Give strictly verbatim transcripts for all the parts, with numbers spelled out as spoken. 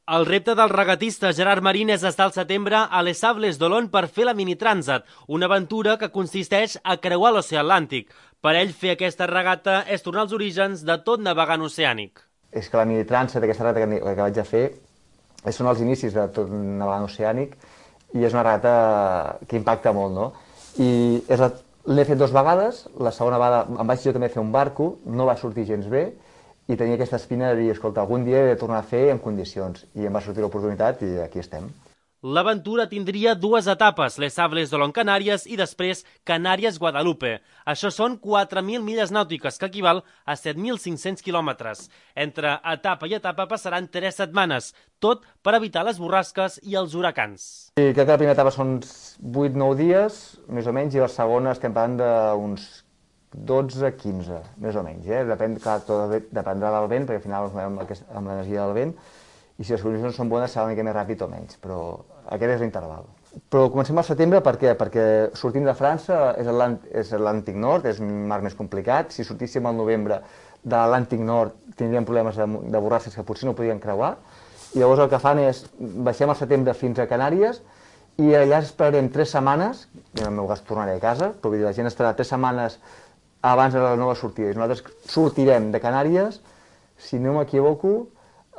El repte del regatista Gerard Marín és estar al setembre a Les Sables d'Olonne per fer la Mini Transat, una aventura que consisteix a creuar l'oceà Atlàntic. Per ell, fer aquesta regata és tornar als orígens de tot navegant oceànic. És que la Mini Transat, aquesta regata que, que vaig a fer, són els inicis de tot navegant oceànic i és una regata que impacta molt, no? I l'he fet dues vegades, la segona vegada em vaig jo també fer un barco, no va sortir gens bé, i tenia aquesta espina de dir, escolta, algun dia he de tornar a fer en condicions. I em va sortir l'oportunitat i aquí estem. L'aventura tindria dues etapes, Les Sables d'Olonne Canàries i després Canàries-Guadalupe. Això són quatre mil milles nàutiques, que equival a set mil cinc-cents quilòmetres. Entre etapa i etapa passaran tres setmanes, tot per evitar les borrasques i els huracans. I crec que la primera etapa són vuit o nou dies, més o menys, i la segona estem parlant d'uns dotze a quinze, més o menys. Eh? Depèn, clar, tot dependrà del vent, perquè al final ens movem amb l'energia del vent, i si les condicions són bones serà una mica més ràpid o menys, però aquest és l'interval. Però comencem al setembre, per què? Perquè sortim de França, és Atlàntic Nord, és un mar més complicat. Si sortíssim al novembre de l'Atlàntic Nord tindríem problemes de, de borrasques que potser no podríem creuar, i llavors el que fan és, baixem al setembre fins a Canàries, i allà esperarem tres setmanes, i en el meu cas tornaré a casa, però vull dir, la gent estarà tres setmanes abans de la nova sortida. I nosaltres sortirem de Canàries, si no m'equivoco,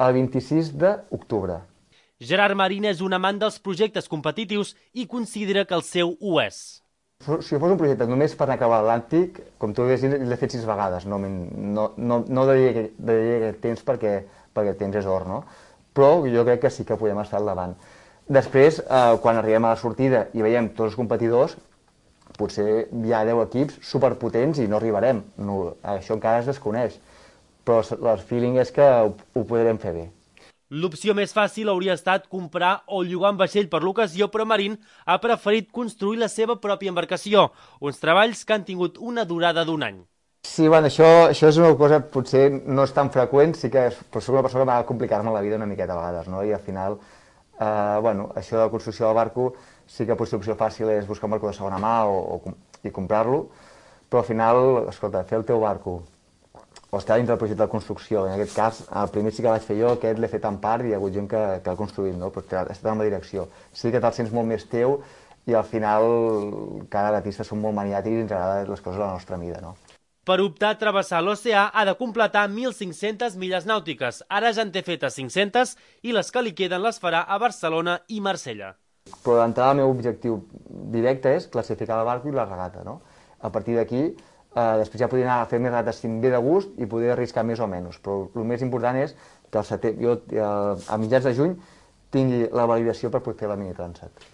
el vint-i-sis d'octubre. Gerard Marín és un amant dels projectes competitius i considera que el seu ho és. Si fos un projecte només per anar a creuar l'Atlàntic, com tu veies, l'he fet sis vegades. No, no, no, no dedicaré aquest temps perquè, perquè el temps és or, no? Però jo crec que sí que podem estar al davant. Després, eh, quan arribem a la sortida i veiem tots els competidors, potser hi ha deu equips superpotents i no arribarem. No, això encara es desconeix. Però el feeling és que ho, ho podrem fer bé. L'opció més fàcil hauria estat comprar o llogar un vaixell per l'ocasió, però Marín ha preferit construir la seva pròpia embarcació, uns treballs que han tingut una durada d'un any. Sí, bueno, això, això és una cosa potser no és tan freqüent, sí que és, però soc una persona que m'ha de complicar-me la vida una miqueta a vegades, no? I al final, eh, bueno, això de la construcció del barco, sí que potser l'opció fàcil és buscar un barco de segona mà o, o, i comprar-lo, però al final, escolta, fer el teu barco o estar dintre del projecte de construcció. En aquest cas, el primer sí que vaig fer jo, aquest l'he fet en part i hi ha hagut gent que, que l'ha construït, no? Però ha estat en la direcció. Sí que te'l sents molt més teu i al final cada artista són molt maniàtics i ens agraden les coses a la nostra mida, no? Per optar a travessar l'oceà ha de completar mil cinc-centes milles nàutiques. Ara ja en té fetes cinc-centes i les que li queden les farà a Barcelona i Marsella. Però d'entrada el meu objectiu directe és classificar el barco i la regata, no? A partir d'aquí, Uh, després ja podria anar a fer més rates si em ve de gust i poder arriscar més o menys, però el més important és que el setembre, jo, uh, a mitjans de juny tingui la validació per poder fer la Mini Transat.